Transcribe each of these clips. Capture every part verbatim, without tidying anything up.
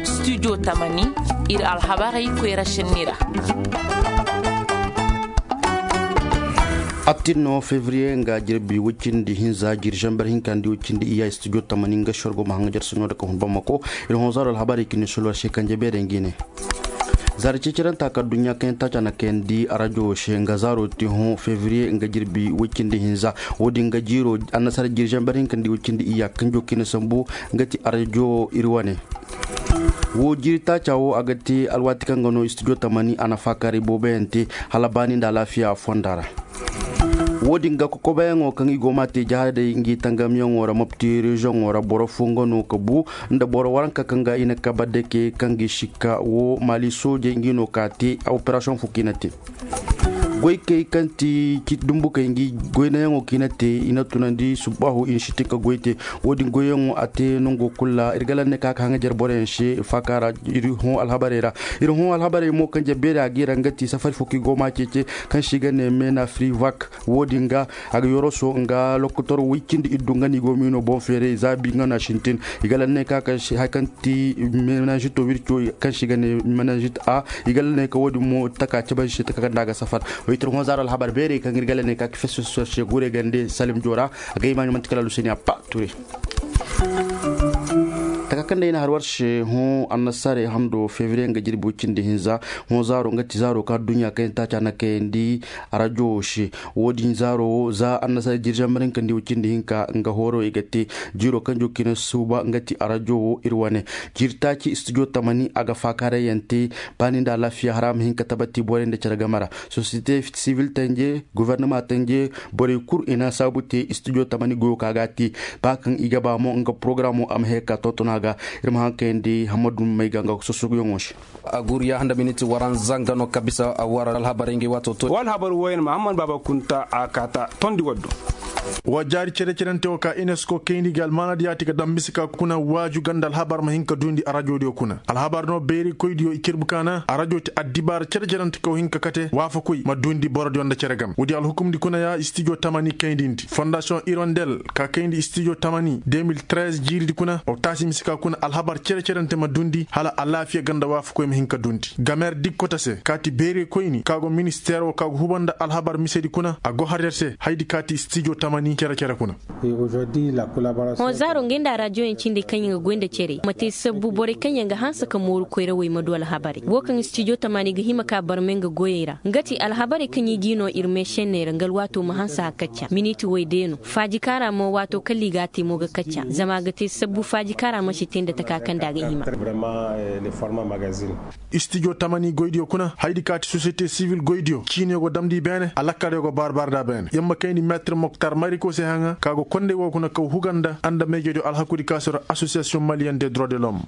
Studio tamani, ir alhabarey koyra šenni ra. Attin no fevriye nga jirbi woy cindi hinza jiri zamber hinka nda woy cindi iyya studio tamani nga sorgo ma haŋajar saɲo nda ka hun bamako. Ir hõ zaaro alhabarey ka ni solwar se kanje beerey ngi ne. Zaari ceceranta ka adduɲɲa kaŋ yaŋ taaca na kayandi arajo se nga zaaro te hõ fevriye nga jirbi woy cindi hinza. Wo-din ga jiiro annasara jiri zamber hinka nda woy cindi iyya kanjo kaŋ i na sambu nga ti arajo ir wane. Wo jiiri taaca wo a ga te alwaati kaŋ ga no studio tamani a na faakaaray booboyaŋ te hala baani nda alaafiya fonda ra. Wo-din ga kokobayaŋo kaŋ i go m'a te jahadey ngi tangamyaŋo ra mopti reziyoŋo ra boro fo nga no ka bu nda boro waranka kaŋ ga i na kabe dake kaŋ ga i sikka wo maali soojey ngi no ka te operasiyoŋ fo kaŋ i na te. Goykey kaŋ ti ci dumbukey ngi goynayaŋo kaŋ i na te i na tunandi subbaahu i na sintin ka goy te. Wo-din goyyaŋo a te nango kulu ra ir ga lanney ka ka haŋajer boroyaŋ se faaka ra. Ir hõ alhabarey ra, ir hõ alhabarey mo kaŋ jabeeri a ga i ra nga ti safari fo kaŋ i go m'a ceece kaŋ se i ga ne mena frivak. Wo-din ga a ga yoroso nga lokotor woy cindi iddu nga no i go miino boŋ feeray zaabi nga no a sintin. I ga lanney ka ka se hari kaŋ ti menazito wirco kaŋ se i ga ne menazit a. I ga lanney ka wo-din mo taka cabe se taka kaŋ nda a ga safar. Wo i tir hõ zaaro alhabar beerey kaŋ ir ga lanney ka ka fes fes se gure gande salim joora. A ga i maaɲo manti kala luseni a pa ture. Taka kaŋ day na har war se hõ annasarey hando fevriye nga jirbi woy cindi hinza. Hõ zaaro nga ti zaaro kaŋ adduɲɲa kaŋ yaŋ taaca na kayandi arajo se. Wo-din zaaro wo za annasarey jiri zamber hinka nda woy cindi hinka nga hooro i ga te. Jiiro kaŋ jo kaŋ i na suuba nga ti arajo wo ir wane. Jiiri taaci studio tamani a ga faakaaray yaŋ te. Baani nda alaafiya hara a ma hin ka tabati borey nda cere game ra. Sosiyete sivil tanje gubernama tanje borey kul i na saabu te studio tamani goyo ka ga a te. Ba kaŋ i ga ba mo nga porogaraamo a ma hee ka tonton a ga. Ir ma haŋ kayandi hammadu may ga nga sosoguyaŋo se. A guriya nda miniti waranza nga no ka bisa a war alhabarey ngey waato to. Wa alhabar wooyaŋ mahamman baaba kunta a kaata tondi waddo. Wa jaari cere-cerante wo ka unesco kayndi ga almaanadiyaati ga daŋ mise ka kuna waaju ganda alhabar ma hin ka duundi arajo diyo kuna alhabar no beeri koy diyo i cirbu kaana arajo ti addibaara cere-cerante ka wa hin ka kate waafakoy ma duundi boro diyo nda cere game woodi alhukumdi kuna ya studio tamani kayndi ndi fondasiyoŋ irondel ka kayndi studio tamani deux mille treize jiiridi kuna wa taasi mise ka kuna alhabar cere-cerante ma duundi hala alaafiya ganda waafakoy ma hin ka duundi gamer dikkota se kaati beeri koyni ka go ministeer wo ka go huba nda alhabar misedi kuna a go har yer se haydi kaati studio tamani cere-cere kuna. Hõ zaaro ngey nda arajoyaŋ cindi kaŋ yaŋ ga goy nda cere ma te sabbu borey kaŋ yaŋ ga hanse ka mooru koyrawey ma du alhabarey wo kaŋ studio tamani ga hima ka barmay nga goyey ra nga ti alhabarey kaŋ i g'i no ir meešenney ra nga alwaato ma hanse a kacca miniti woy day no faaji kaara mo waato kala i g'a te mo ga kacca zama a ga te sabbu faaji kaara ma si te nda taka kaŋ nda a ga hima. Studio tamani goydiyo kuna haydi kaati sosiyete sivil goydiyo ciiniyo go damndi i beene alakkariyo go baarbaari nd'a beene yamma kayndi meetir moktar mariko se haŋa ka go kondey wo kuna kaw huga nda a nda meejediyo alhakudi kaasiro asosiyasiyoŋ maliyen de droit de l'homme.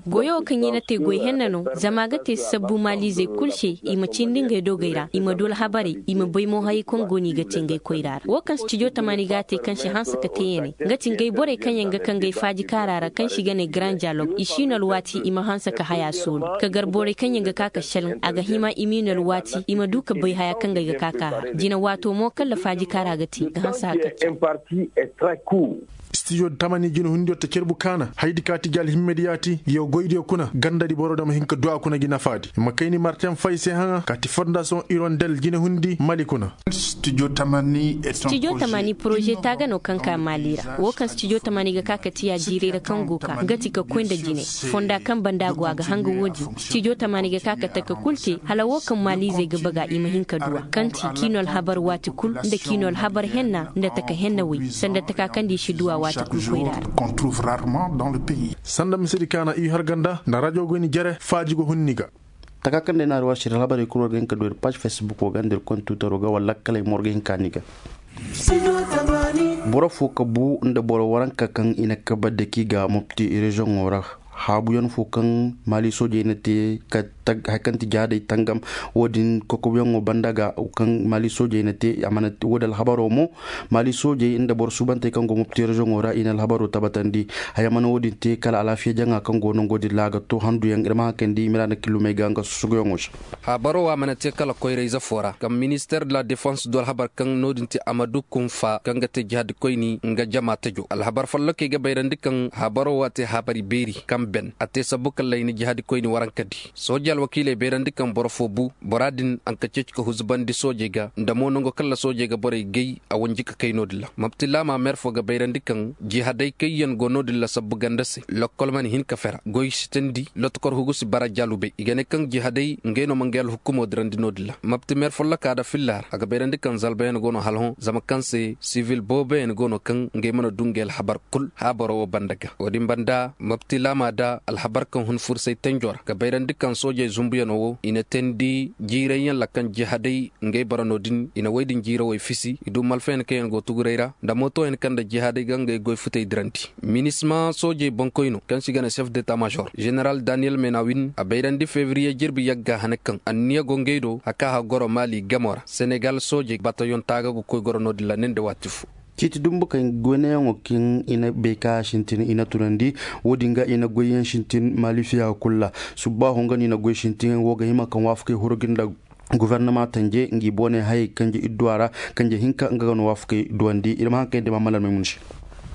Goyo kaŋ i na te goy henna no zama a ga te sabbu maaliizey kul se i ma cindi ngey dogey ra i ma du alhabarey i ma bay mo hayey kaŋ go no i ga te ngey koyra ra wo kaŋ studio tamani ga a te kaŋ si hanse ka te yeeney nga ti ngey borey kaŋ yaŋ ga ka ngey faaji kaara ra kaŋ se i ga ne grand dialogue i si no alwaati i ma hanse ka haya soolu ka gar borey kaŋ yaŋ ga ka ka selaŋ a ga hima i m'i no alwaati i ma du ka bay haya kaŋ ga ay ga ka ka a ra jina waato mo kala faaji kaara ga te ga hanse haka. Studio tamani jina hundiyo ta carbu kaana haydi kaati gi alhimmediyaati yaw goydiyo kuna gandadi boro dama hin ka du a kuna gi nafaadi ma kayni martin fay se haŋa kaati fondasiyoŋ irondel jina hundi mali kuna. Studio tamani poroze taaga no kaŋ ka maali ra wo kaŋ studio tamani ga ka ka tiya jiirey ra kaŋ go ka nga ti ka koy nda jine fonda kaŋ banda go a ga hanga wo-din studio tamani ga ka ka taka kul te hala wo kaŋ maaliizey ga baga i ma hin ka du a kaŋ ti k'i no alhabar waati kul nda k'i no alhabar henna nda taka henna wey sanda taka kaŋ nda i si du a waati kul koyra ra. Sanda misedi kaana i har ganda nda rajo goyni jere faaji go hunni ga. Taka kaŋ day na arwasi ra alhabarey kul war ga hin ka du ir paaž facebook wo ga nda ir kontuutaro ga wala lakkaley mo war ga hin ka ni ga. Boro fo ka bu nda boro waranka kaŋ i na kabe daki ga mopti reziyoŋo ra. Haabuyaŋ fo kaŋ maali soojey na te ka tag hari kaŋ ti jihaaday tangam. Wo-din kokobuyaŋo banda ga kaŋ maali soojey na te a mana te wo-din alhabaro mo. Maali soojey nda boro suubantey kaŋ go mopti reziyoŋo ra i na alhabaro tabatandi. Haya mana wo-din te kala alaafiya jaŋa kaŋ go nango din ra a ga to handuyaŋ ir ma haŋ kayndi i ma ra na killumey ga nga susuguyaŋo se. Haabaro wo a mana te kala koyra-ize fo ra kaŋ minister de la defense du alhabar kaŋ no-din te amadu kunfa kaŋ ga te jihadi koyni nga jama tajo alhabar follokey ga bayrandi kaŋ haabaro wo a te haabari beeri kaŋ ben a te sabbu kala i na jihadi koyni warankadi. Sooje alwakiiley bayrandi kaŋ boro fo bu bora din a nka ceeci ka huzubandi soojey ga nda mo nango kala soojey ga borey gay a wanji ka kay no-din ra mapti laama meer fo ga bayrandi kaŋ jihaday kaŋ yaŋ go no-din ra sabbu ganda se lokkol mana hin ka fera goy si teendi lotokor hugu si bara jaalubey i ga ne kaŋ jihaday ngey no ma ngey alhukumo dirandi no-din ra mapti meer folloka nda filla ra a ga bayrandi kaŋ zalbayaŋ go no hala hõ zama kaŋ se sivil booboyaŋ go no kaŋ ngey mana du ngey alhabar kul haabaro wo banda ga wo-din banda mapti laama nda alhabar kaŋ hun fursay tenjo ra ga bayrandi kaŋ soojey zunbuyaŋo wo i na teendi jiirayyaŋ ra kaŋ jihaday ngey bara no-din i na wey din jiirawey fisi i du malfayaŋ kaŋ yaŋ go tuguray ra nda mootoyaŋ kaŋ nda jihaadey ga ngey goy futey dirandi. Minisma soojey boŋkoyno kaŋ se i ga ne sef deta mažor ženeral daniyel menawin a bayrandi febriye jirbi yagga hane kaŋ anniya go ngey do a ka hagoro maali gamo ra senegal soojey batayoŋ taaga ga koy goro no-din ra ne nda waati fo. Ciiti dumbu kaŋ goynayaŋo kaŋ i na bay ka a sintin i na tunandi. Wo-din ga i na goyyaŋ sintin maali fiya kul ra. Subbaaho nga no i na goy sintin wo ga hima kaŋ waafakey huru ga nda gofornama tanje ngi booney hayey kanje idduwa ra. Kanje hinka nga ga no waafakey duwandi ir ma haŋ kayndi ma malar maymun se.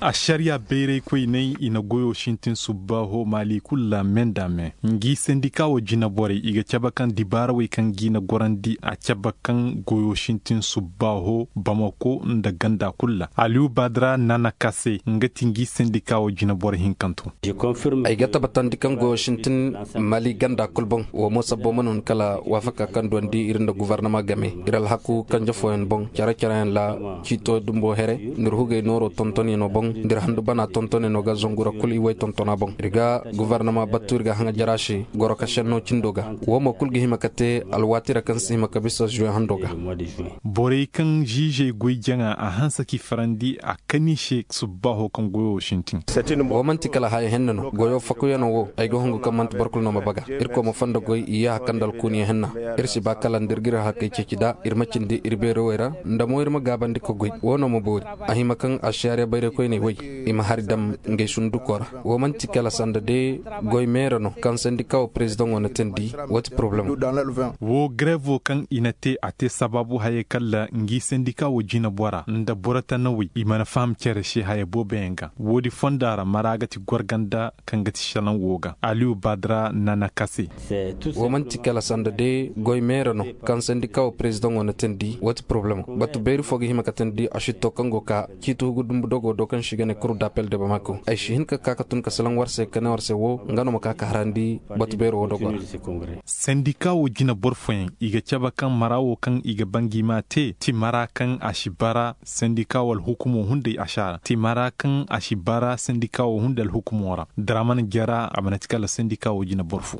Ašariya bayraykoyney i na goyo sintin subbaaho maali kul ra me nda me. Ngi sendika wo jinaborey i ga cabe kaŋ dibaarawey kaŋ gi na gorandi a cabe kaŋ goyo sintin subbaaho bamako nda ganda kul ra aliyu badra nana kase nga ti ngi sendika wo jinaboro hinkanto. Ay ga tabbatandi kaŋ goyo sintin mali ganda kul boŋ wo mo sabbo mana hun kala waafaka kaŋ duwandi ir nda guvarnama game ir alhaku kanje fooyaŋ boŋ care-careyaŋ ra ciito dumbo here nda ir hugey nooro tontonyaŋo boŋ nda ir handu bana tontonyaŋo ga zangu ra kul i way tontona boŋ ir ga guvarnama battu ir ga haŋa jara se goro ka senno cindo ga. Wo mo kul ga hima ka te alwaati ra kaŋ si hima ka bisa zuwe hando ga. Borey kaŋ ziizey goy jaŋa a hanse k'i farandi a kani se subbaaho kaŋ goyo sintin. Wo man'ti kala haya henna no goyo fakuyaŋo wo ay ga hungu kaŋ man'ti boro kulu no ma baga. Irkoy ma fondo goy i yaaha kaŋ nda alkuuniya henna. Ir si ba kala nda ir ga ir hakey ceeci nda ir ma cindi ir beerowey ra nda mo ir ma gaabandi ka goy wo no ma boori. A hima kaŋ ašariya bayraykoyney woy i ma hari dam ngey sunduko ra. Wo man'ti kala sanda de goy meera no kaŋ sandika wo perezidaŋo na teendi. Wo ti porobalem. Wo garevo kaŋ i na te a te sabaabu hayey kalla ngi sandika wo jinabora nda boro tanawey i mana faham cere se haya booboyaŋ ga. Woodi fonda ra mara ga ti gorganda kaŋ ga ti šalaŋ wo ga aliyu badra nana kase. Wo man'ti kala sanda de goy meera no kaŋ sandika wo perezidaŋo na teendi wo ti porobalem. Batu beeri fo ga hima ka teendi a šitto kaŋ go ka ciiti hugu dumbu dogo do kaŋ se i ga ne kuru dapel de bamako ay si hin ka ka ka tun ka salaŋ war se ka ne war se wo nga no ma ka ka harandi. Batu beero wo dogo ra. Sandika wo jina boro fooyaŋ i ga cabe kaŋ mara wo kaŋ i ga ba ngi ma te ti mara kaŋ a si bara sandika wo alhukumo hunday ašara ti mara kaŋ a si bara sandika wo hunday alhukumo ra daraman jara a mana ti kala sandika wo jina boro fo.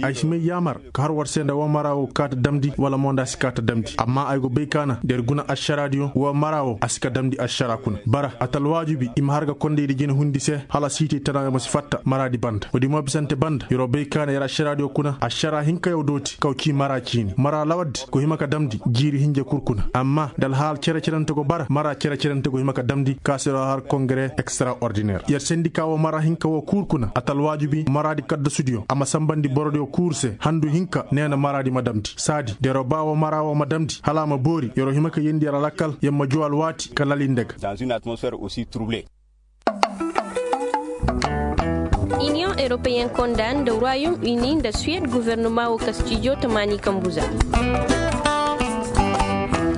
Ay si may yaamar ka har war se nda woo mara woo kaata damndi wala mo nda a si kaata damndi amma ay go bay kaana da ir guna ašaraadiyo woo mara woo a si ka damndi ašaraa kuna bara a ta alwaajibi i ma har ga kondaydi jina hundi se hala siitay tanaayo ma si fatta maraadi banda woodi mo bisante banda yer'o bay kaana yer ašaraadiyo kuna ašaraa hinkayo dooti kaw cii maraa ciini maraa lawaddi go hima ka damndi jiiri hinja kul kuna amma nda alhaal cere-cerante go bara maraa cere-cerante go hima ka damndi ka se yer'o har kongare ekstaraordiner yer sendika woo maraa hinka woo kuur kuna a ta alwaajibi maraadi kaddasudiyo a ma sanbandi borodiyo kuur se handu hinka nee na maraadi ma damndi saadi da yer'o ba woo maraa woo ma damndi hala a ma boori yer'o hima ka yeendi yer alakkal yer ma juu alwaati ka lal i nda ga. Iniyoŋ eropeyen konda nda royom uni nda suwed gofornoma woo kastijo tamaani kambu za.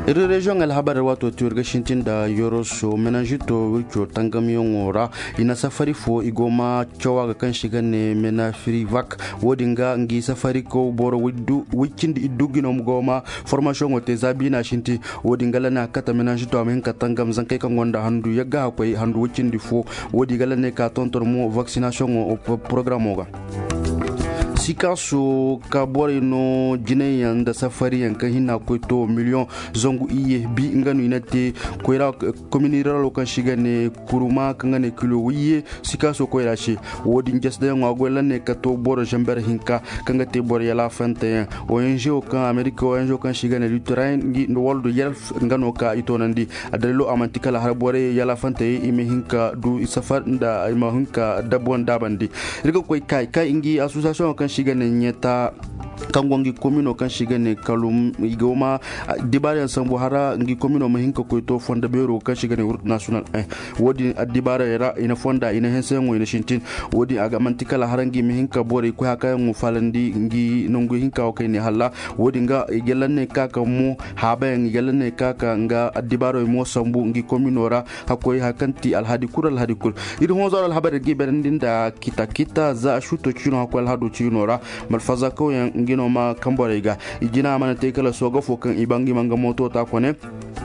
Iri reziyoŋ alhabar waato tiwir ga sintin nda yoroso menazito wirco tangamyaŋo ra i na safari fo i go ma caw a ga kaŋ se i ga ne menafirivak. Wo-din ga ngi safari kaw boro woy cindi iddu ga i no go ma formasiyoŋo te za biina sinti. Wo-din ga la ne a kate menazito a ma hin ka tangam zankey kaŋ gonda handu yagga hakkoy handu woy cindi fo. Wo-din ga la ne ka tonton mo vaksinasiyoŋo porogaramoo ga. Sikaso ka borey no jinayyaŋ nda safariyaŋ kaŋ hinna koy to miliyoŋ zangu iyye bi nga no i na te koyra, komini ruralo kaŋ se i ga ne kuruma kaŋ ga ne kilo wiyye sikaso koyra se. Wo-din jasdayaŋo a goy lanney ka to boro zamber hinka kaŋ ga te boro yalaafanteyaŋ. Ong kaŋ amerika ong kaŋ se i ga ne luterayen ngi nda waldo yalf nga no ka i toonandi. A dalilo a manti kala har borey yalaafantey i ma hin ka du i safar nda i ma hin ka dabbo nda a bandi. Ir ga koy kay kay ngi asosiyasiyoŋo kaŋ se i ga ne ɲeta kaŋ go ngi komino kaŋ se i ga ne kalum i go ma dibaarayaŋ sambu hara ngi komino ma hin ka koy to fondo beero kaŋ se i ga ne wurk national. Wo-din addibaarayaŋ ra i na fonda i na henseyaŋo i na sintin. Wo-din a ga manti kala hara ngi ma hin ka borey koy hakayaŋo faalandi ngi nangu hinka wo kaŋ i ne halla. Wo-din ga i ga lanney ka ka mo haabayaŋ i ga lanney ka ka nga addibaarey mo sambu ngi komino ra. Hakkoy hari kaŋ ti alhadi kul alhadi kul. Ir honzaro alhabar ir ga i berandi nda kita kita za a suto ciino hakkoy alhado ciino ra. Malfazakawyaŋ ngi no ma kaŋ borey ga i jina a mana te kala sooga fo kaŋ i ba ngi ma nga mooto ta kone.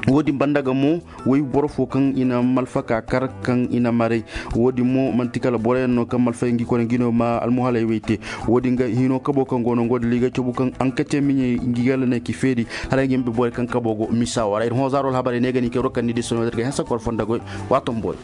Wo-din banda ga mo way boro fo kaŋ i na malfaka kar kaŋ i na maray. Wo-din mo manti kala boroyaŋ no kaŋ malfay ngi kone ngi no ma almuhalay way te. Wo-din ga hino kabo kaŋ go no ngo da liga cabu kaŋ ankate miɲey ngi gala ne ki feeri. Hala ngi ma bi borey kaŋ kabo go misa wara ir honzaro alhabarey ne ga ni kay rokan ni di sono da ga hensa kor fonda goy. Waato mboy.